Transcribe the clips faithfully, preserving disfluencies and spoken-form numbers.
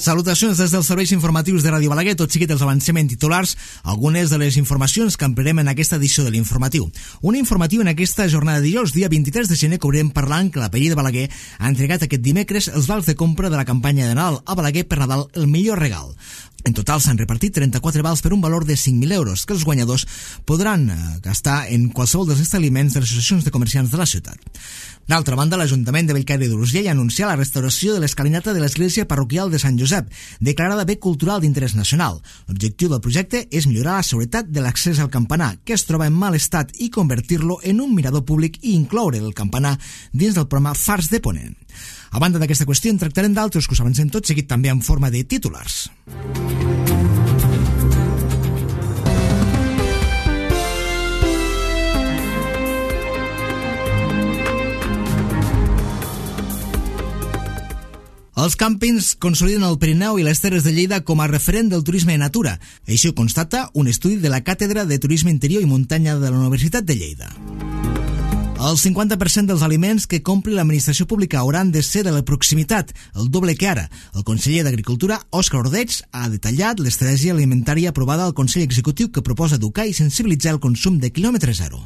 Salutacions des dels serveis informatius de Ràdio Balaguer, tot seguit els avancem en titulars, algunes de les informacions que ampliarem en aquesta edició de l'informatiu. Un informatiu en aquesta jornada de dijous, dia vint-i-tres de gener, que obrirem parlant que la Paeria de Balaguer ha entregat aquest dimecres els vals de compra de la campanya de Nadal a Balaguer per Nadal, el millor regal. En total s'han repartit trenta-quatre vals per un valor de cinc mil euros que els guanyadors podran gastar en qualsevol dels establiments de les associacions de comerciants de la ciutat. D'altra banda, l'Ajuntament de Bellcaire d'Urgell ha anunciat la restauració de l'escalinata de l'església parroquial de Sant Josep, declarada bé cultural d'interès nacional. L'objectiu del projecte és millorar la seguretat de l'accés al campanar, que es troba en mal estat, i convertir-lo en un mirador públic i incloure el campanar dins del programa Fars de Ponent. A banda d'aquesta qüestió, en tractarem d'altres que us avancem tot seguit també en forma de titulars. Els càmpings consoliden el Pirineu i les Terres de Lleida com a referent del turisme de natura. Això ho constata un estudi de la Càtedra de Turisme Interior i Muntanya de la Universitat de Lleida. El cinquanta per cent dels aliments que compri l'administració pública hauran de ser de la proximitat, el doble que ara. El conseller d'Agricultura, Òscar Ordeig, ha detallat l'estratègia alimentària aprovada al Consell Executiu que proposa educar i sensibilitzar el consum de quilòmetre zero.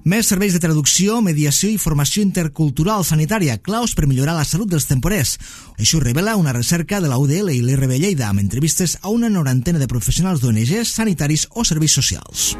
Més serveis de traducció, mediació i formació intercultural sanitària, claus per millorar la salut dels temporers. Això ho revela una recerca de la U D L i l'I R B Lleida amb entrevistes a una norantena de professionals d'O N Ges, sanitaris o serveis socials.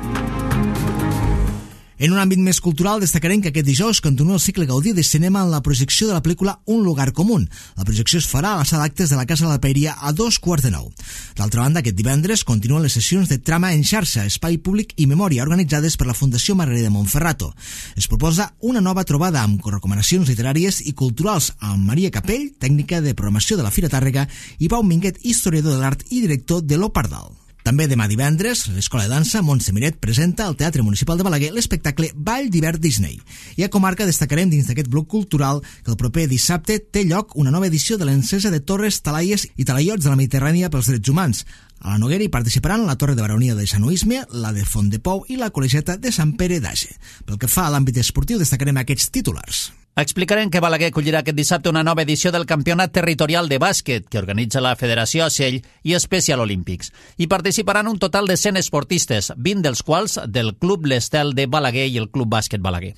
En un àmbit més cultural, destacarem que aquest dijous continua el cicle Gaudí de cinema en la projecció de la pel·lícula Un lugar común. La projecció es farà a la sala d'actes de la Casa de la Paeria a dos quarts de nou. D'altra banda, aquest divendres continuen les sessions de Trama en xarxa, Espai Públic i Memòria, organitzades per la Fundació Margarida Montferrato. Es proposa una nova trobada amb recomanacions literàries i culturals amb Maria Capell, tècnica de programació de la Fira Tàrrega, i Pau Minguet, historiador de l'art i director de l'Opardal. També demà divendres, l'Escola de Dansa Montse Miret presenta al Teatre Municipal de Balaguer l'espectacle Ball d'hivern Disney. I a comarca destacarem dins d'aquest bloc cultural que el proper dissabte té lloc una nova edició de l'encesa de torres, talaies i talaiots de la Mediterrània pels drets humans. A la Noguera hi participaran la Torre de Baronia de Sant Oisme, la de Font de Pou i la Col·legiata de Sant Pere d'Age. Pel que fa a l'àmbit esportiu, destacarem aquests titulars. Explicarem que Balaguer acollirà aquest dissabte una nova edició del Campionat Territorial de Bàsquet que organitza la Federació Ocell i Special Olympics. Hi participaran un total de cent esportistes, vint dels quals del Club L'Estel de Balaguer i el Club Bàsquet Balaguer.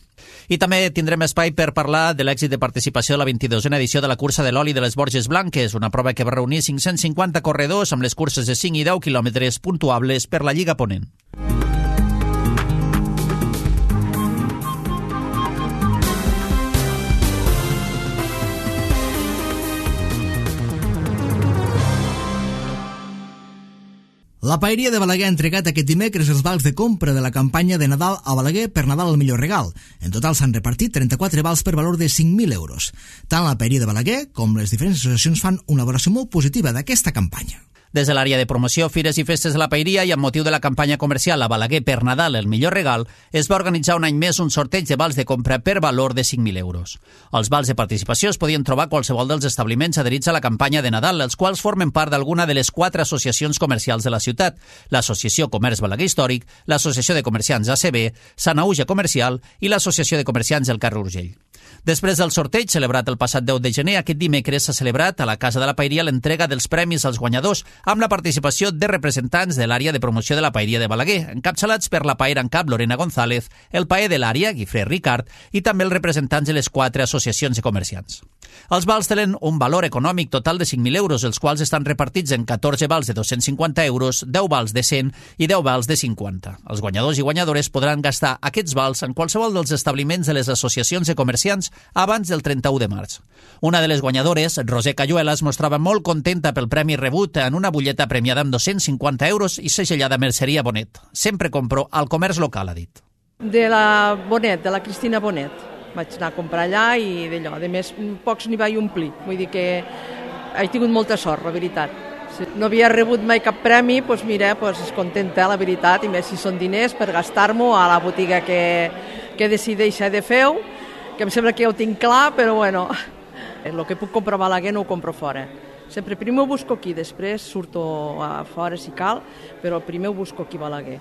I també tindrem espai per parlar de l'èxit de participació de la vint-i-dosena edició de la cursa de l'oli de les Borges Blanques, una prova que va reunir cinc-cents cinquanta corredors amb les curses de cinc i deu quilòmetres puntuables per la Lliga Ponent. La Paeria de Balaguer ha entregat aquest dimecres els vals de compra de la campanya de Nadal a Balaguer per Nadal el millor regal. En total s'han repartit trenta-quatre vals per valor de cinc mil euros. Tant la Paeria de Balaguer com les diferents associacions fan una valoració molt positiva d'aquesta campanya. Des de l'àrea de promoció, fires i festes de la Paeria i amb motiu de la campanya comercial a Balaguer per Nadal el millor regal, es va organitzar un any més un sorteig de vals de compra per valor de cinc mil euros. Els vals de participació es podien trobar a qualsevol dels establiments adherits a la campanya de Nadal, els quals formen part d'alguna de les quatre associacions comercials de la ciutat: l'Associació Comerç Balaguer Històric, l'Associació de Comerciants A C B, Sanaüja Comercial i l'Associació de Comerciants del carrer Urgell. Després del sorteig, celebrat el passat deu de gener, aquest dimecres s'ha celebrat a la Casa de la Paeria l'entrega dels premis als guanyadors amb la participació de representants de l'àrea de promoció de la Paeria de Balaguer, encapçalats per la paera en cap Lorena González, el paer de l'àrea, Guifré Ricard, i també els representants de les quatre associacions de comerciants. Els vals tenen un valor econòmic total de cinc mil euros, els quals estan repartits en catorze vals de dos-cents cinquanta euros, deu vals de cent i deu vals de cinquanta. Els guanyadors i guanyadores podran gastar aquests vals en qualsevol dels establiments de les associacions de comerciants abans del trenta-u de març. Una de les guanyadores, Roser Cayuela, es mostrava molt contenta pel premi rebut en una butlleta premiada amb dos-cents cinquanta euros i segellada Merceria Bonet. Sempre compro al comerç local, ha dit. De la Bonet, de la Cristina Bonet. Vaig anar a comprar allà i d'allò. A més, pocs n'hi vaig omplir. Vull dir que he tingut molta sort, la veritat. Si no havia rebut mai cap premi, doncs mira, doncs és contenta, la veritat, i més si són diners per gastar-m'ho a la botiga que, que decideixi de fer-ho, que em sembla que ja ho tinc clar, però bueno, el que puc comprar a Balaguer no ho compro fora. Sempre primer ho busco aquí, després surto a fora si cal, però primer ho busco aquí a Balaguer.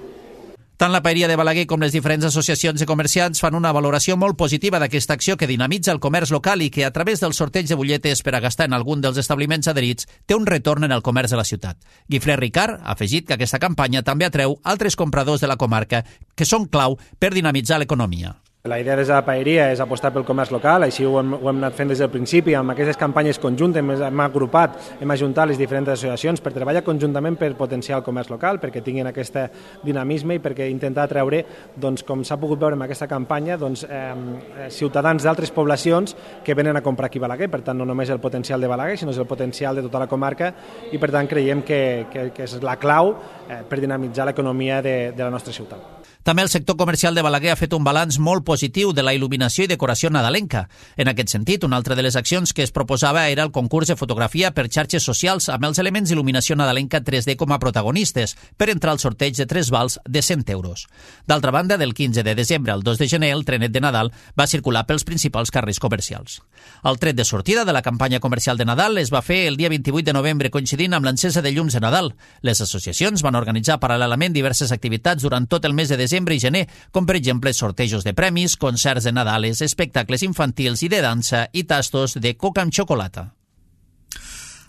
Tant la Paeria de Balaguer com les diferents associacions de comerciants fan una valoració molt positiva d'aquesta acció que dinamitza el comerç local i que, a través del sorteig de butlletes per a gastar en algun dels establiments adherits, té un retorn en el comerç de la ciutat. Guifré Ricard ha afegit que aquesta campanya també atreu altres compradors de la comarca que són clau per dinamitzar l'economia. La idea des de la Paeria és apostar pel comerç local, així ho hem, ho hem anat fent des del principi. Amb aquestes campanyes conjuntes hem, hem agrupat, hem ajuntat les diferents associacions per treballar conjuntament per potenciar el comerç local, perquè tinguin aquest dinamisme i perquè intentar treure, doncs, com s'ha pogut veure en aquesta campanya, doncs, eh, ciutadans d'altres poblacions que venen a comprar aquí a Balaguer. Per tant, no només el potencial de Balaguer, sinó el potencial de tota la comarca i, per tant, creiem que, que, que és la clau eh, per dinamitzar l'economia de, de la nostra ciutat. També el sector comercial de Balaguer ha fet un balanç molt positiu de la il·luminació i decoració nadalenca. En aquest sentit, una altra de les accions que es proposava era el concurs de fotografia per xarxes socials amb els elements d'il·luminació nadalenca tres D com a protagonistes per entrar al sorteig de tres vals de cent euros. D'altra banda, del quinze de desembre al dos de gener, el trenet de Nadal va circular pels principals carrers comercials. El tret de sortida de la campanya comercial de Nadal es va fer el dia vint-i-vuit de novembre, coincidint amb l'encesa de llums de Nadal. Les associacions van organitzar paral·lelament diverses activitats durant tot el mes de desembre i gener, com per exemple sortejos de premis, concerts de Nadales, espectacles infantils i de dansa i tastos de coca amb xocolata.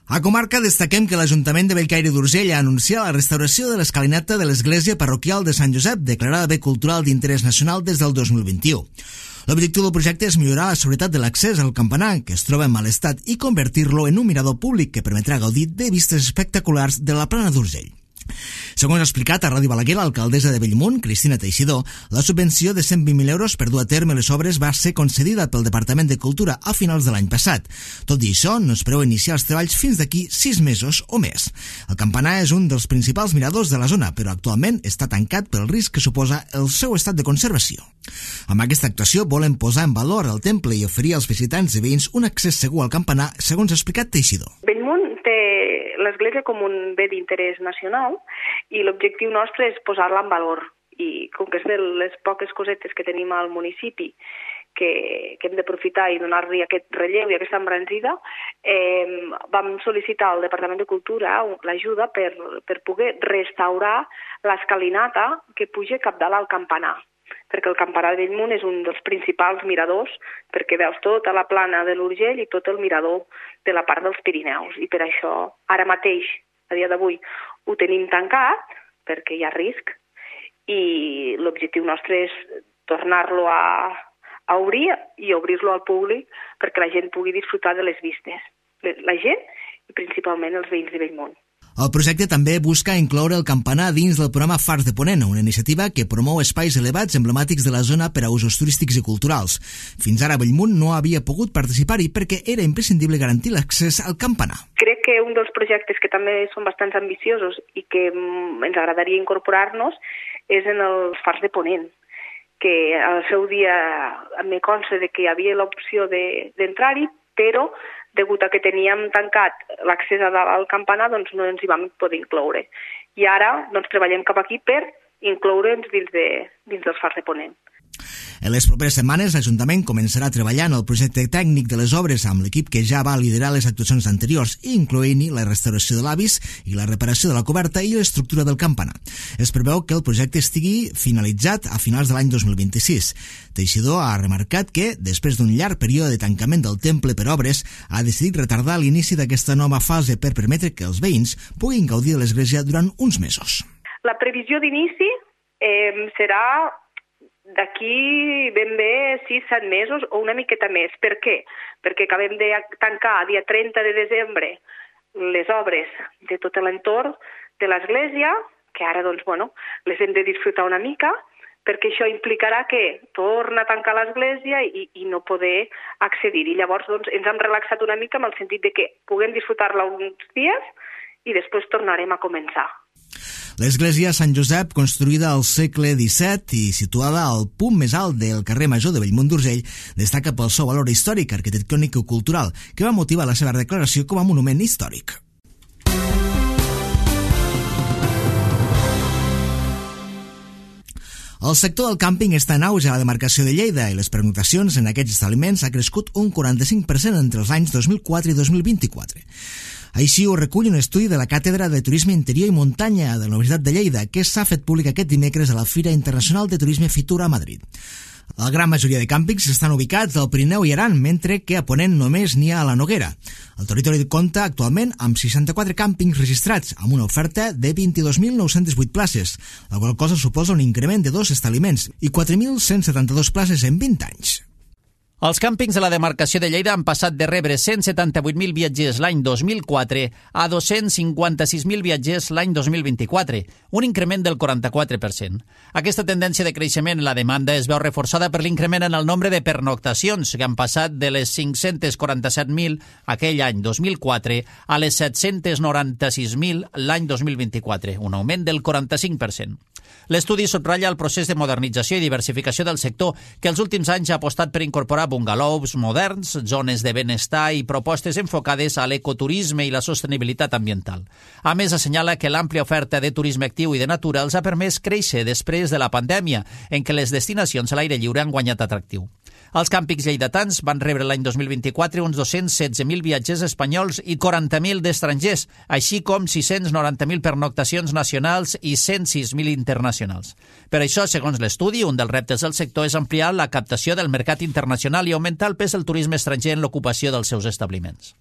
A comarca destaquem que l'Ajuntament de Bellcaire d'Urgell ha anunciat la restauració de l'escalinata de l'església parroquial de Sant Josep, declarada bé cultural d'interès nacional des del dos mil vint-i-u. L'objectiu del projecte és millorar la seguretat de l'accés al campanar, que es troba en mal estat, i convertir-lo en un mirador públic que permetrà gaudir de vistes espectaculars de la plana d'Urgell. Segons ha explicat a Ràdio Balaguer l'alcaldessa de Bellmunt, Cristina Teixidor, la subvenció de cent vint mil euros per dur a terme les obres va ser concedida pel Departament de Cultura a finals de l'any passat. Tot i això, no es preveu iniciar els treballs fins d'aquí sis mesos o més. El campanar és un dels principals miradors de la zona, però actualment està tancat pel risc que suposa el seu estat de conservació. Amb aquesta actuació volen posar en valor el temple i oferir als visitants i veïns un accés segur al campanar, segons ha explicat Teixidor. Bellmunt té l'església com un bé d'interès nacional i l'objectiu nostre és posar-la en valor. I com que és de les poques cosetes que tenim al municipi que, que hem d'aprofitar i donar-li aquest relleu i aquesta embranzida, eh, vam sol·licitar al Departament de Cultura l'ajuda per, per poder restaurar l'escalinata que puja cap dalt al campanar, perquè el campanar de Bellmunt és un dels principals miradors, perquè veus tota la plana de l'Urgell i tot el mirador de la part dels Pirineus. I per això, ara mateix, a dia d'avui, ho tenim tancat, perquè hi ha risc, i l'objectiu nostre és tornar-lo a, a obrir i obrir-lo al públic perquè la gent pugui disfrutar de les vistes. La gent i principalment els veïns de Bellmunt. El projecte també busca incloure el campanar dins del programa Fars de Ponent, una iniciativa que promou espais elevats emblemàtics de la zona per a usos turístics i culturals. Fins ara Bellmunt no havia pogut participar-hi perquè era imprescindible garantir l'accés al campanar. Crec que un dels projectes que també són bastants ambiciosos i que ens agradaria incorporar-nos és en els Fars de Ponent, que al seu dia me consta de que hi havia l'opció d'entrar-hi, però degut a que teníem tancat l'accés al campanar, doncs no ens hi vam poder incloure. I ara doncs, treballem cap aquí per incloure'ns dins, de, dins dels Fars de Ponent. En les properes setmanes, l'Ajuntament començarà a treballar en el projecte tècnic de les obres amb l'equip que ja va liderar les actuacions anteriors, incloent-hi la restauració de l'absis i la reparació de la coberta i l'estructura del campanar. Es preveu que el projecte estigui finalitzat a finals de l'any dos mil vint-i-sis. Teixidor ha remarcat que, després d'un llarg període de tancament del temple per obres, ha decidit retardar l'inici d'aquesta nova fase per permetre que els veïns puguin gaudir de l'església durant uns mesos. La previsió d'inici eh, serà d'aquí ben bé sis set mesos o una miqueta més. Per què? Perquè acabem de tancar a dia trenta de desembre les obres de tot l'entorn de l'església, que ara doncs, bueno, les hem de disfrutar una mica, perquè això implicarà que torna a tancar l'església i, i no poder accedir. I llavors doncs, ens hem relaxat una mica amb el sentit de que puguem disfrutar-la uns dies i després tornarem a començar. L'església Sant Josep, construïda al segle disset i situada al punt més alt del carrer Major de Bellmunt d'Urgell, destaca pel seu valor històric, arquitectònic i cultural, que va motivar la seva declaració com a monument històric. El sector del càmping està en auge a la demarcació de Lleida i les pernoctacions en aquests establiments ha crescut un quaranta-cinc per cent entre els anys dos mil quatre i dos mil vint-i-quatre. Així ho recull un estudi de la Càtedra de Turisme Interior i Muntanya de la Universitat de Lleida, que s'ha fet públic aquest dimecres a la Fira Internacional de Turisme Fitur a Madrid. La gran majoria de càmpings estan ubicats al Pirineu i Aran, mentre que a Ponent només n'hi ha a la Noguera. El territori compta actualment amb seixanta-quatre càmpings registrats, amb una oferta de vint-i-dos mil nou-cents vuit places, la qual cosa suposa un increment de dos establiments i quatre mil cent setanta-dos places en vint anys. Els càmpings de la demarcació de Lleida han passat de rebre cent setanta-vuit mil viatgers l'any dos mil quatre a dos-cents cinquanta-sis mil viatgers l'any dos mil vint-i-quatre, un increment del quaranta-quatre per cent. Aquesta tendència de creixement en la demanda es veu reforçada per l'increment en el nombre de pernoctacions, que han passat de les cinc-cents quaranta-set mil aquell any dos mil quatre a les set-cents noranta-sis mil l'any dos mil vint-i-quatre, un augment del quaranta-cinc per cent. L'estudi subratlla el procés de modernització i diversificació del sector, que els últims anys ha apostat per incorporar bungalows moderns, zones de benestar i propostes enfocades a l'ecoturisme i la sostenibilitat ambiental. A més, assenyala que l'àmplia oferta de turisme actiu i de natura els ha permès créixer després de la pandèmia, en què les destinacions a l'aire lliure han guanyat atractiu. Els càmpings lleidatans van rebre l'any dos mil vint-i-quatre uns dos-cents setze mil viatgers espanyols i quaranta mil d'estrangers, així com sis-cents noranta mil pernoctacions nacionals i cent sis mil internacionals. Per això, segons l'estudi, un dels reptes del sector és ampliar la captació del mercat internacional i augmentar el pes del turisme estranger en l'ocupació dels seus establiments.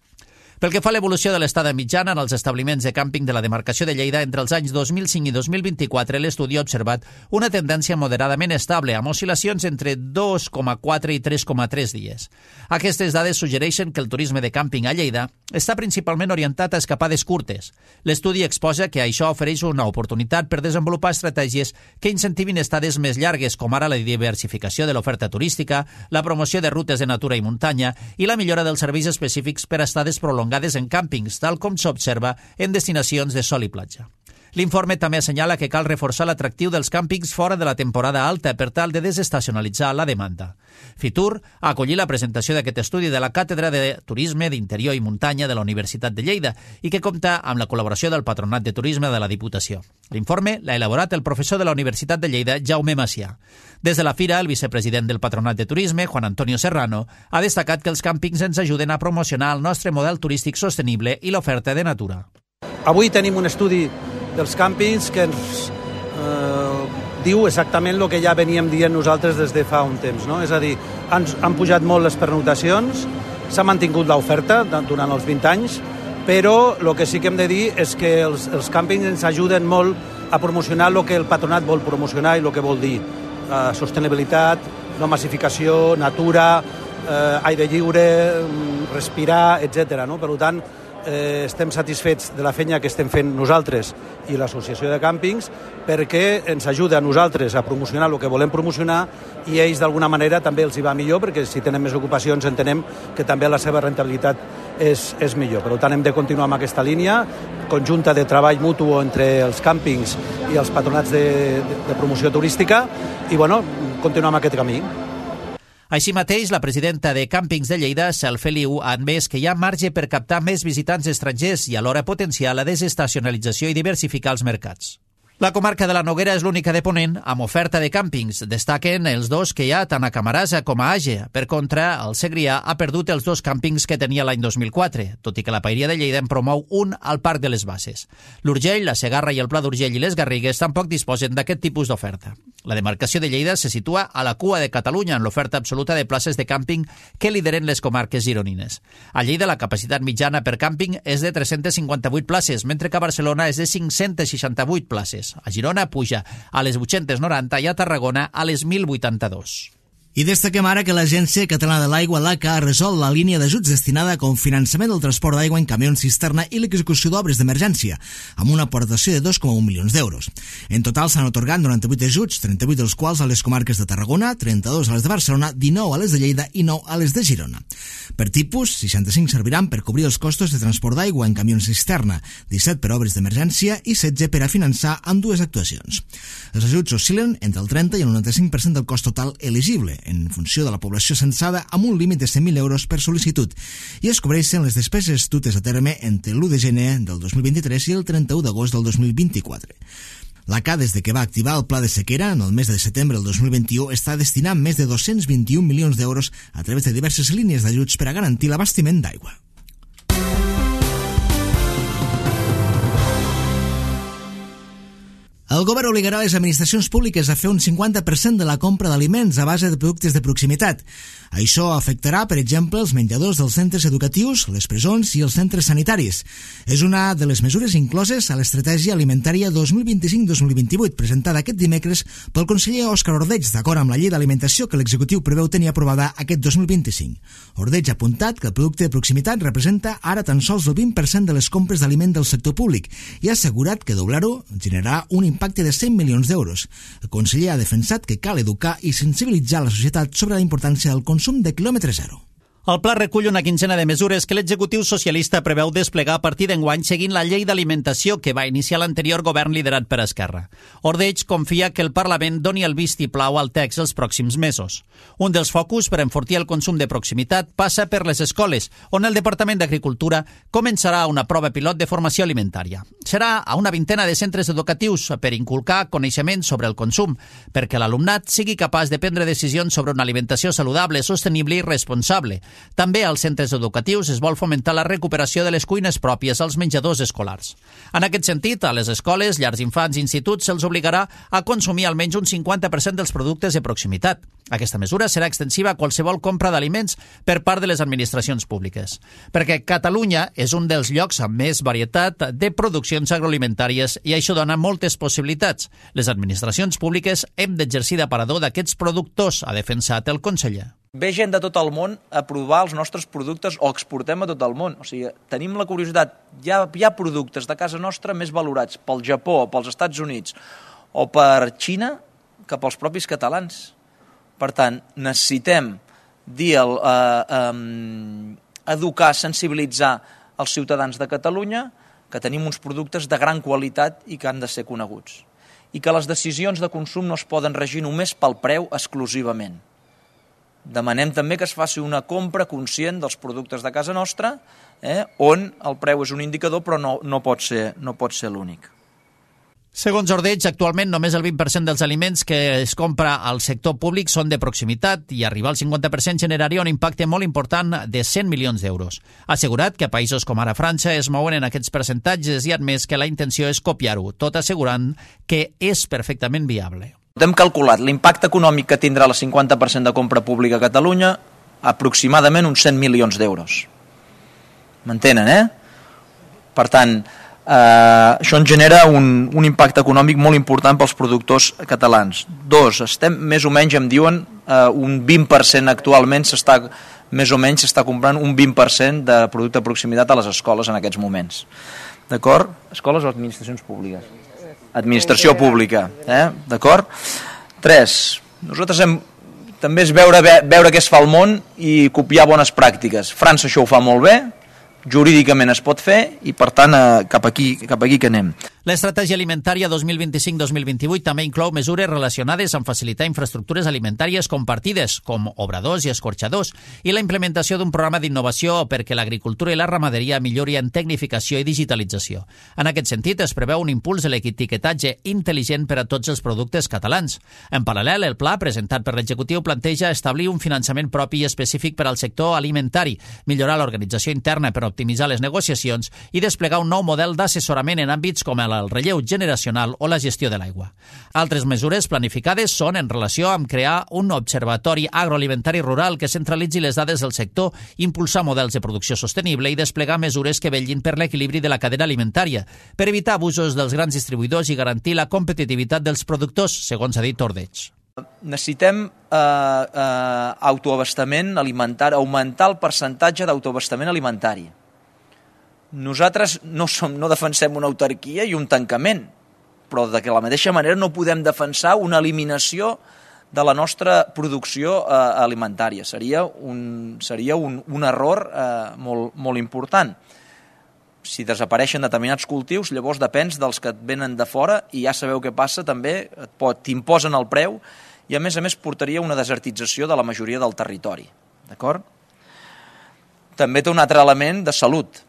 Pel que fa a l'evolució de l'estada mitjana en els establiments de càmping de la demarcació de Lleida, entre els anys dos mil cinc i dos mil vint-i-quatre, l'estudi ha observat una tendència moderadament estable, amb oscil·lacions entre dos coma quatre i tres coma tres dies. Aquestes dades suggereixen que el turisme de càmping a Lleida està principalment orientat a escapades curtes. L'estudi exposa que això ofereix una oportunitat per desenvolupar estratègies que incentivin estades més llargues, com ara la diversificació de l'oferta turística, la promoció de rutes de natura i muntanya i la millora dels serveis específics per a estades prolongades en càmpings, tal com s'observa en destinacions de sol i platja. L'informe també assenyala que cal reforçar l'atractiu dels càmpings fora de la temporada alta per tal de desestacionalitzar la demanda. Fitur ha acollit la presentació d'aquest estudi de la Càtedra de Turisme d'Interior i Muntanya de la Universitat de Lleida i que compta amb la col·laboració del Patronat de Turisme de la Diputació. L'informe l'ha elaborat el professor de la Universitat de Lleida, Jaume Macià. Des de la Fira, el vicepresident del Patronat de Turisme, Juan Antonio Serrano, ha destacat que els càmpings ens ajuden a promocionar el nostre model turístic sostenible i l'oferta de natura. Avui tenim un estudi dels càmpings que ens eh, diu exactament el que ja veníem dient nosaltres des de fa un temps, no? És a dir, han, han pujat molt les pernoctacions, s'ha mantingut l'oferta durant els vint anys, però el que sí que hem de dir és que els, els càmpings ens ajuden molt a promocionar el que el patronat vol promocionar i el que vol dir eh, sostenibilitat, no massificació, natura, eh, aire lliure, respirar, etcètera. No? Per tant, Eh, estem satisfets de la feina que estem fent nosaltres i l'associació de càmpings perquè ens ajuda a nosaltres a promocionar el que volem promocionar i ells d'alguna manera també els hi va millor perquè si tenen més ocupacions entenem que també la seva rentabilitat és, és millor. Per tant hem de continuar amb aquesta línia conjunta de treball mutu entre els càmpings i els patronats de, de, de promoció turística i bueno, continuar amb aquest camí. Així mateix, la presidenta de Càmpings de Lleida, Cel Feliu, ha admès que hi ha marge per captar més visitants estrangers i alhora potenciar la desestacionalització i diversificar els mercats. La comarca de la Noguera és l'única de Ponent amb oferta de càmpings. Destaquen els dos que hi ha tant a Camarasa com a Àger. Per contra, el Segrià ha perdut els dos càmpings que tenia l'any dos mil quatre, tot i que la Paeria de Lleida en promou un al Parc de les Basses. L'Urgell, la Segarra i el Pla d'Urgell i les Garrigues tampoc disposen d'aquest tipus d'oferta. La demarcació de Lleida se situa a la cua de Catalunya en l'oferta absoluta de places de càmping que lideren les comarques gironines. A Lleida la capacitat mitjana per càmping és de tres-cents cinquanta-vuit places, mentre que a Barcelona és de cinc-cents seixanta-vuit places. A Girona puja a les vuit-cents noranta i a Tarragona a les mil vuitanta-dos. I destaquem ara que l'Agència Catalana de l'Aigua, l'A C A, ha resolt la línia d'ajuts destinada a cofinançament del transport d'aigua en camions cisterna i l'execució d'obres d'emergència, amb una aportació de dos coma un milions d'euros. En total s'han atorgat noranta-vuit ajuts, trenta-vuit dels quals a les comarques de Tarragona, trenta-dos a les de Barcelona, dinou a les de Lleida i nou a les de Girona. Per tipus, seixanta-cinc serviran per cobrir els costos de transport d'aigua en camions cisterna, disset per obres d'emergència i setze per a finançar amb dues actuacions. Els ajuts oscil·len entre el trenta i el noranta-cinc per cent del cost total elegible, en funció de la població censada, amb un límit de cent mil euros per sol·licitud, i es cobreixen les despeses dutes a terme entre l'u de gener del dos mil vint-i-tres i el trenta-u d'agost del dos mil vint-i-quatre. L'A C A, des de que va activar el pla de sequera en el mes de setembre del dos mil vint-i-u, està destinant més de dos-cents vint-i-un milions d'euros a través de diverses línies d'ajuts per a garantir l'abastiment d'aigua. El govern obligarà les administracions públiques a fer un cinquanta per cent de la compra d'aliments a base de productes de proximitat. Això afectarà, per exemple, els menjadors dels centres educatius, les presons i els centres sanitaris. És una de les mesures incloses a l'Estratègia Alimentària dos mil vint-i-cinc dos mil vint-i-vuit, presentada aquest dimecres pel conseller Òscar Ordeig, d'acord amb la llei d'alimentació que l'executiu preveu tenir aprovada aquest dos mil vint-i-cinc. Ordeig ha apuntat que el producte de proximitat representa ara tan sols el vint per cent de les compres d'aliment del sector públic i ha assegurat que doblar-ho generarà un impacte de cent milions d'euros. El conseller ha defensat que cal educar i sensibilitzar la societat sobre la importància del consum de quilòmetre zero. El pla recull una quinzena de mesures que l'executiu socialista preveu desplegar a partir d'enguany seguint la llei d'alimentació que va iniciar l'anterior govern liderat per Esquerra. Ordeig confia que el Parlament doni el vistiplau al text els pròxims mesos. Un dels focus per enfortir el consum de proximitat passa per les escoles, on el Departament d'Agricultura començarà una prova pilot de formació alimentària. Serà a una vintena de centres educatius per inculcar coneixements sobre el consum, perquè l'alumnat sigui capaç de prendre decisions sobre una alimentació saludable, sostenible i responsable. També als centres educatius es vol fomentar la recuperació de les cuines pròpies als menjadors escolars. En aquest sentit, a les escoles, llars d'infants i instituts se'ls obligarà a consumir almenys un cinquanta per cent dels productes de proximitat. Aquesta mesura serà extensiva a qualsevol compra d'aliments per part de les administracions públiques, perquè Catalunya és un dels llocs amb més varietat de produccions agroalimentàries i això dona moltes possibilitats. Les administracions públiques hem d'exercir d'aparador d'aquests productors, ha defensat el conseller. Ve gent de tot el món a provar els nostres productes o exportem a tot el món. O sigui, tenim la curiositat. Hi ha, hi ha productes de casa nostra més valorats pel Japó, pels Estats Units o per Xina que pels propis catalans. Per tant, necessitem dir el, eh, eh, educar, sensibilitzar els ciutadans de Catalunya que tenim uns productes de gran qualitat i que han de ser coneguts. I que les decisions de consum no es poden regir només pel preu exclusivament. Demanem també que es faci una compra conscient dels productes de casa nostra, eh, on el preu és un indicador però no, no pot ser, no pot ser l'únic. Segons Ordeig, actualment només el vint per cent dels aliments que es compra al sector públic són de proximitat i arribar al cinquanta per cent generaria un impacte molt important de cent milions d'euros. Ha assegurat que països com ara França es mouen en aquests percentatges i ha admès que la intenció és copiar-ho, tot assegurant que és perfectament viable. Hem calculat l'impacte econòmic que tindrà el cinquanta per cent de compra pública a Catalunya, aproximadament uns cent milions d'euros. M'entenen, eh? Per tant, eh, això ens genera un, un impacte econòmic molt important pels productors catalans. Dos, estem més o menys, em diuen, eh, un vint per cent actualment s'està, més o menys s'està comprant un vint per cent de producte de proximitat a les escoles en aquests moments. D'acord? Escoles o administracions públiques? Administració pública, eh? D'acord? Tres, nosaltres hem, també és veure, veure què es fa al món i copiar bones pràctiques. França això ho fa molt bé, jurídicament es pot fer i per tant eh, cap aquí, cap aquí que anem. L'Estratègia Alimentària dos mil vint-i-cinc dos mil vint-i-vuit també inclou mesures relacionades amb facilitar infraestructures alimentàries compartides, com obradors i escorxadors, i la implementació d'un programa d'innovació perquè l'agricultura i la ramaderia millori en tecnificació i digitalització. En aquest sentit, es preveu un impuls de l'etiquetatge intel·ligent per a tots els productes catalans. En paral·lel, el pla presentat per l'executiu planteja establir un finançament propi i específic per al sector alimentari, millorar l'organització interna per optimitzar les negociacions i desplegar un nou model d'assessorament en àmbits com el el relleu generacional o la gestió de l'aigua. Altres mesures planificades són en relació amb crear un observatori agroalimentari rural que centralitzi les dades del sector, impulsar models de producció sostenible i desplegar mesures que vetllin per l'equilibri de la cadena alimentària, per evitar abusos dels grans distribuïdors i garantir la competitivitat dels productors, segons ha dit Ordeig. Necessitem eh, eh, autoabastament alimentari, augmentar el percentatge d'autoabastament alimentari. Nosaltres no, som, no defensem una autarquia i un tancament, però de la mateixa manera no podem defensar una eliminació de la nostra producció eh, alimentària. Seria un, seria un, un error eh, molt, molt important. Si desapareixen determinats cultius, llavors depens dels que et venen de fora i ja sabeu què passa també, t'imposen el preu i a més a més portaria una desertització de la majoria del territori. D'acord? També té un altre element de salut.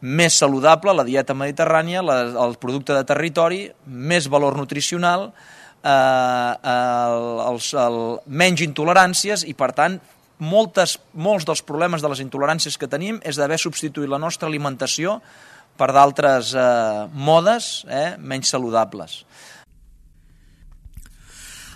Més saludable, la dieta mediterrània, la, el producte de territori, més valor nutricional, eh, el, el, el, menys intoleràncies i, per tant, moltes, molts dels problemes de les intoleràncies que tenim és d'haver substituït la nostra alimentació per d'altres eh, modes eh, menys saludables.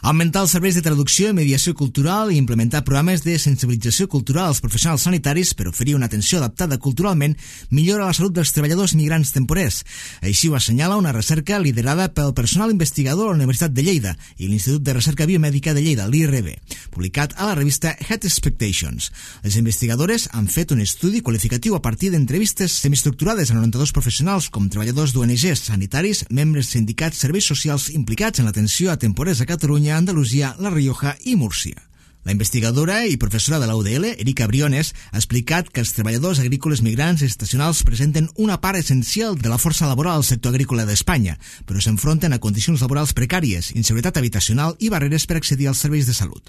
Augmentar els serveis de traducció i mediació cultural i implementar programes de sensibilització cultural als professionals sanitaris per oferir una atenció adaptada culturalment millora la salut dels treballadors migrants temporers. Així ho assenyala una recerca liderada pel personal investigador a la Universitat de Lleida i l'Institut de Recerca Biomèdica de Lleida, l'I R B, publicat a la revista Head Expectations. Les investigadores han fet un estudi qualificatiu a partir d'entrevistes semiestructurades a noranta-dos professionals com treballadors d'O N Ges, sanitaris, membres sindicats, serveis socials implicats en l'atenció a temporers a Catalunya, Andalusia, La Rioja i Múrcia. La investigadora i professora de la U D L, Erika Briones, ha explicat que els treballadors agrícoles migrants estacionals presenten una part essencial de la força laboral al sector agrícola d'Espanya, però s'enfronten a condicions laborals precàries, inseguretat habitacional i barreres per accedir als serveis de salut.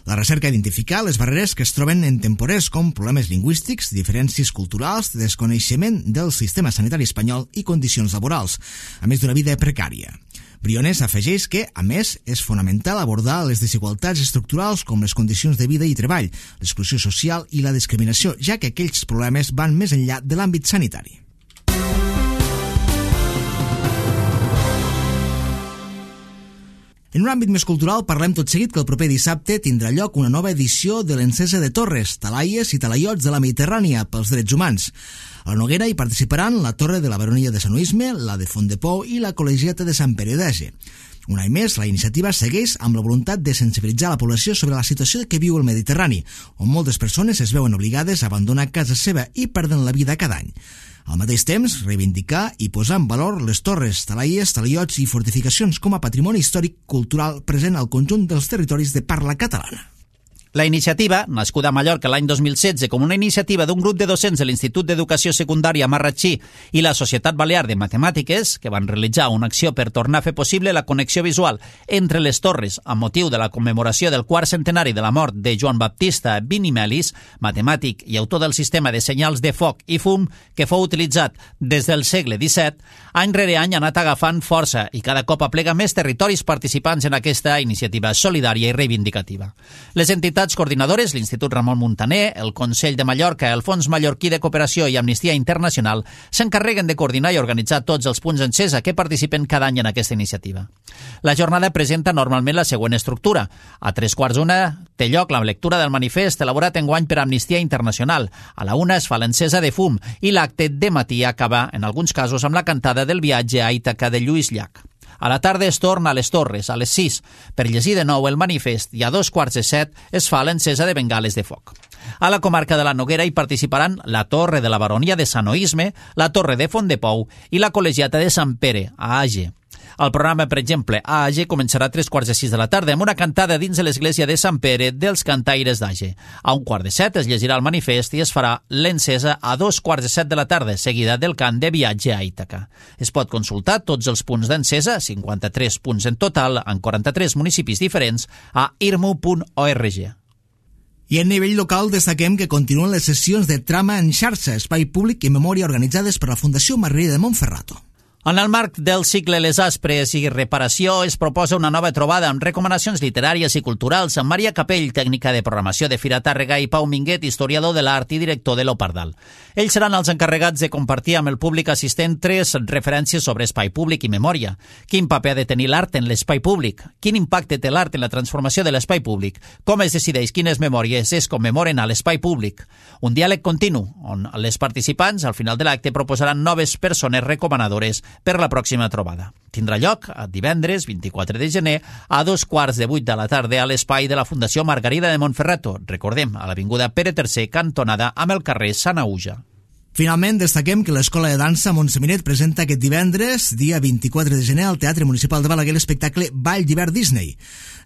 La recerca ha identificat les barreres que es troben en temporers com problemes lingüístics, diferències culturals, desconeixement del sistema sanitari espanyol i condicions laborals, a més d'una vida precària. Briones afegeix que, a més, és fonamental abordar les desigualtats estructurals com les condicions de vida i treball, l'exclusió social i la discriminació, ja que aquells problemes van més enllà de l'àmbit sanitari. En un àmbit més cultural, parlem tot seguit que el proper dissabte tindrà lloc una nova edició de l'Encesa de Torres, Talaies i Talaiots de la Mediterrània pels drets humans. A la Noguera hi participaran la Torre de la Baronia de Sant Oisme, la de Font de Pou i la Col·legiata de Sant Pere d'Age. Un any més, la iniciativa segueix amb la voluntat de sensibilitzar la població sobre la situació que viu el Mediterrani, on moltes persones es veuen obligades a abandonar casa seva i perden la vida cada any. Al mateix temps, reivindicar i posar en valor les torres, talaies, talaiots i fortificacions com a patrimoni històric cultural present al conjunt dels territoris de parla catalana. La iniciativa, nascuda a Mallorca l'any dos mil setze com una iniciativa d'un grup de docents de l'Institut d'Educació Secundària Marratxí i la Societat Balear de Matemàtiques, que van realitzar una acció per tornar a fer possible la connexió visual entre les torres amb motiu de la commemoració del quart centenari de la mort de Joan Baptista Binimelis, matemàtic i autor del sistema de senyals de foc i fum que fou utilitzat des del segle disset, any rere any ha anat agafant força i cada cop aplega més territoris participants en aquesta iniciativa solidària i reivindicativa. Les entitats coordinadores, l'Institut Ramon Muntaner, el Consell de Mallorca, el Fons Mallorquí de Cooperació i Amnistia Internacional s'encarreguen de coordinar i organitzar tots els punts d'encesa que participen cada any en aquesta iniciativa. La jornada presenta normalment la següent estructura. A tres quarts d'una té lloc la lectura del manifest elaborat enguany per Amnistia Internacional. A la una es fa l'encesa de fum i l'acte de matí acaba, en alguns casos, amb la cantada del viatge a Ítaca de Lluís Llach. A la tarda es torna a les Torres, a les sis, per llegir de nou el manifest i a dos quarts de set es fa l'encesa de bengales de foc. A la comarca de la Noguera hi participaran la Torre de la Baronia de Sant Oisme, la Torre de Font de Pou i la Col·legiata de Sant Pere, a Age. El programa, per exemple, a Age començarà a tres quarts de sis de la tarda amb una cantada dins de l'església de Sant Pere dels Cantaires d'Age. A un quart de set es llegirà el manifest i es farà l'encesa a dos quarts de set de la tarda, seguida del cant de viatge a Ítaca. Es pot consultar tots els punts d'encesa, cinquanta-tres punts en total, en quaranta-tres municipis diferents, a irmu punt org. I a nivell local destaquem que continuen les sessions de trama en xarxa, espai públic i memòria organitzades per la Fundació Margarida de Montferrato. En el marc del cicle Les Aspres i Reparació es proposa una nova trobada amb recomanacions literàries i culturals amb Maria Capell, tècnica de programació de Fira Tàrrega, i Pau Minguet, historiador de l'art i director de l'Opardal. Ells seran els encarregats de compartir amb el públic assistent tres referències sobre espai públic i memòria. Quin paper ha de tenir l'art en l'espai públic? Quin impacte té l'art en la transformació de l'espai públic? Com es decideix quines memòries es commemoren a l'espai públic? Un diàleg continu, on les participants al final de l'acte proposaran noves persones recomanadores per la pròxima trobada. Tindrà lloc a divendres vint-i-quatre de gener a dos quarts de vuit de la tarda a l'espai de la Fundació Margarida de Montferrato, recordem, a l'avinguda Pere tercer, cantonada amb el carrer Sanaüja. Finalment, destaquem que l'Escola de Dansa Montseminet presenta aquest divendres, dia vint-i-quatre de gener, al Teatre Municipal de Balaguer l'espectacle Ball d'hivern Disney.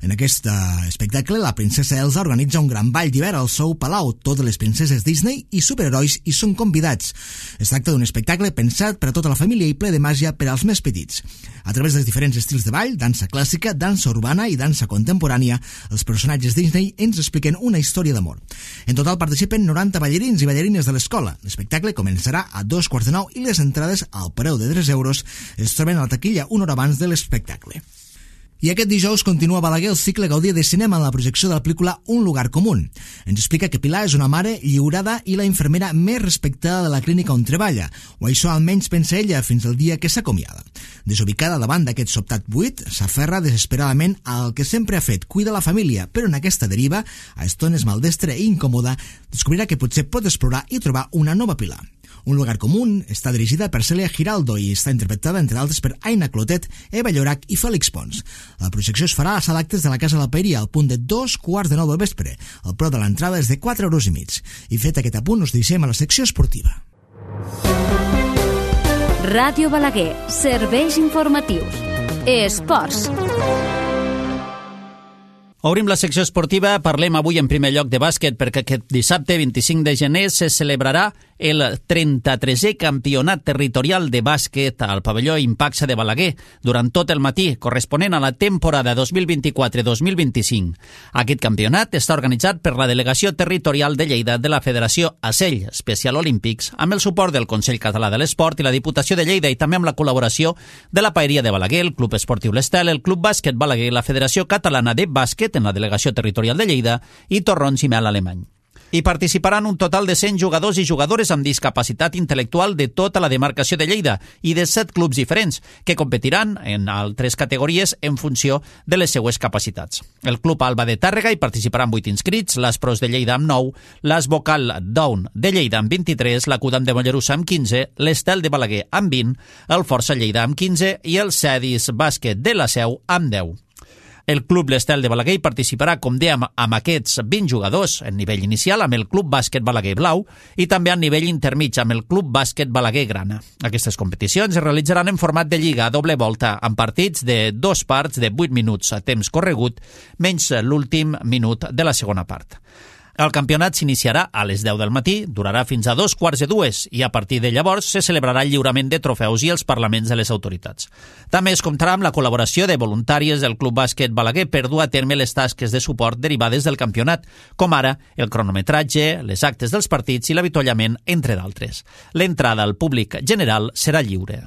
En aquest espectacle, la princesa Elsa organitza un gran ball d'hivern al seu palau. Totes les princeses Disney i superherois hi són convidats. Es tracta d'un espectacle pensat per a tota la família i ple de màgia per als més petits. A través dels diferents estils de ball, dansa clàssica, dansa urbana i dansa contemporània, els personatges Disney ens expliquen una història d'amor. En total participen noranta ballarins i ballarines de l'escola. L'espectacle començarà a dos quarts de nou i les entrades al preu de tres euros es troben a la taquilla una hora abans de l'espectacle. I aquest dijous continua a Balaguer el cicle Gaudí de cinema en la projecció de la pel·lícula Un lugar común. Ens explica que Pilar és una mare lliurada i la infermera més respectada de la clínica on treballa, o això almenys pensa ella fins al dia que s'acomiada. Desubicada davant d'aquest sobtat buit, s'aferra desesperadament al que sempre ha fet, cuida la família, però en aquesta deriva, a estones maldestra i incòmoda, descobrirà que potser pot explorar i trobar una nova Pilar. Un lugar común està dirigida per Cèlia Giraldo i està interpretada, entre altres, per Aina Clotet, Eva Llorac i Fèlix Pons. La projecció es farà a la sala d'actes de la Casa de la Paeria al punt de dos quarts de nou del vespre. El preu de l'entrada és de quatre euros i mig. I fet aquest apunt, us deixem a la secció esportiva. Ràdio Balaguer, serveis informatius. Esports. Obrim la secció esportiva, parlem avui en primer lloc de bàsquet perquè aquest dissabte vint-i-cinc de gener se celebrarà el trenta-tresè campionat territorial de bàsquet al pavelló Impaxa de Balaguer durant tot el matí, corresponent a la temporada dos mil vint-i-quatre dos mil vint-i-cinc. Aquest campionat està organitzat per la Delegació Territorial de Lleida de la Federació A S E L, Special Olympics, amb el suport del Consell Català de l'Esport i la Diputació de Lleida i també amb la col·laboració de la Paeria de Balaguer, el Club Esportiu l'Estel, el Club Bàsquet Balaguer, la Federació Catalana de Bàsquet en la Delegació Territorial de Lleida i Torrons i Mel Alemany. Hi participaran un total de cent jugadors i jugadores amb discapacitat intel·lectual de tota la demarcació de Lleida i de set clubs diferents, que competiran en altres categories en funció de les seues capacitats. El Club Alba de Tàrrega hi participaran vuit inscrits, l'Aspros de Lleida amb nou, l'As Vocal Down de Lleida amb vint-i-tres, la Cudam de Mollerussa amb quinze, l'Estel de Balaguer amb vint, el Força Lleida amb quinze i el Cedis Bàsquet de la Seu amb deu. El Club l'Estel de Balaguer participarà, com dèiem, amb aquests vint jugadors en nivell inicial, amb el Club Bàsquet Balaguer Blau i també a nivell intermig amb el Club Bàsquet Balaguer Grana. Aquestes competicions es realitzaran en format de lliga a doble volta, amb partits de dos parts de vuit minuts a temps corregut, menys l'últim minut de la segona part. El campionat s'iniciarà a les deu del matí, durarà fins a dos quarts de dues i a partir de llavors se celebrarà el lliurament de trofeus i els parlaments de les autoritats. També es comptarà amb la col·laboració de voluntàries del Club Bàsquet Balaguer per dur a terme les tasques de suport derivades del campionat, com ara el cronometratge, les actes dels partits i l'avituallament, entre d'altres. L'entrada al públic general serà lliure.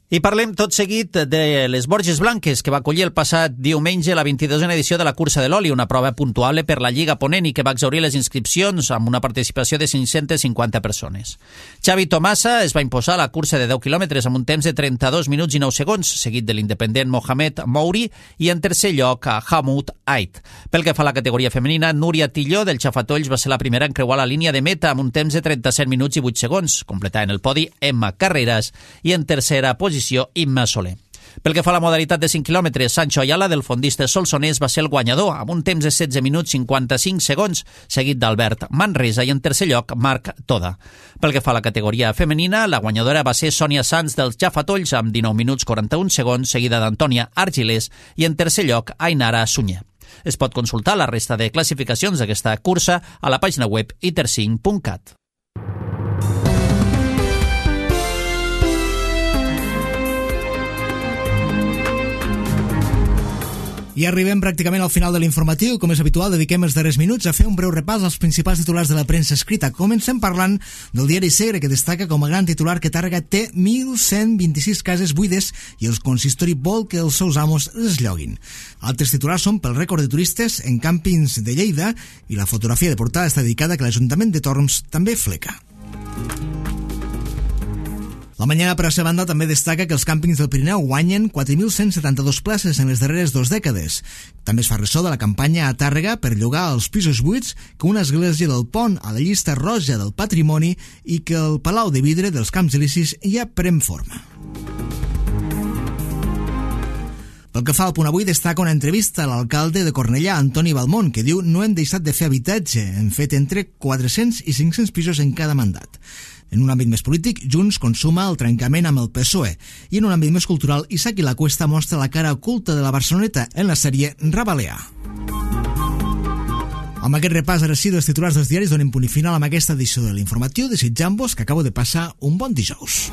I parlem tot seguit de les Borges Blanques, que va acollir el passat diumenge la vint-i-dosena edició de la cursa de l'oli, una prova puntuable per la Lliga Ponent i que va exhaurir les inscripcions amb una participació de cinc-centes cinquanta persones. Xavi Tomasa es va imposar a la cursa de deu quilòmetres amb un temps de trenta-dos minuts i nou segons, seguit de l'independent Mohamed Mouri i en tercer lloc a Hamoud Ait. Pel que fa a la categoria femenina, Núria Tilló del Xafatolls va ser la primera en creuar la línia de meta amb un temps de trenta-set minuts i vuit segons, completant el podi Emma Carreras i en tercera posició Imma Soler. Pel que fa a la modalitat de cinc quilòmetres, Sancho Ayala del fondista Solsonès va ser el guanyador amb un temps de setze minuts cinquanta-cinc segons, seguit d'Albert Manresa i en tercer lloc Marc Toda. Pel que fa a la categoria femenina, la guanyadora va ser Sònia Sanz dels Jafatolls amb dinou minuts quaranta-un segons, seguida d'Antònia Argilés i en tercer lloc Ainara Sunyer. Es pot consultar la resta de classificacions d'aquesta cursa a la pàgina web itercinc punt cat. I arribem pràcticament al final de l'informatiu. Com és habitual, dediquem els darrers minuts a fer un breu repàs als principals titulars de la premsa escrita. Comencem parlant del diari Segre, que destaca com a gran titular que Tàrrega té mil cent vint-i-sis cases buides i el consistori vol que els seus amos les lloguin. Altres titulars són pel rècord de turistes en càmpings de Lleida i la fotografia de portada està dedicada que l'Ajuntament de Torms també fleca. La Mañana, per la seva banda, també destaca que els càmpings del Pirineu guanyen quatre mil cent setanta-dos places en les darreres dues dècades. També es fa ressò de la campanya a Tàrrega per llogar els pisos buits que una església del Pont a la llista roja del patrimoni i que el Palau de Vidre dels Camps Elisis ja pren forma. Pel que fa al Punt Avui, destaca una entrevista a l'alcalde de Cornellà, Antoni Balmont, que diu no hem deixat de fer habitatge, hem fet entre quatre-cents i cinc-cents pisos en cada mandat. En un àmbit més polític, Junts consuma el trencament amb el P S O E i en un àmbit més cultural, Isaac i la Cuesta mostra la cara oculta de la Barceloneta en la sèrie Rabaleà. Amb aquest repàs ara sí dels titulars dels diaris donem punt i final amb aquesta edició de l'informatiu, desitjant-vos que acabo de passar un bon dijous.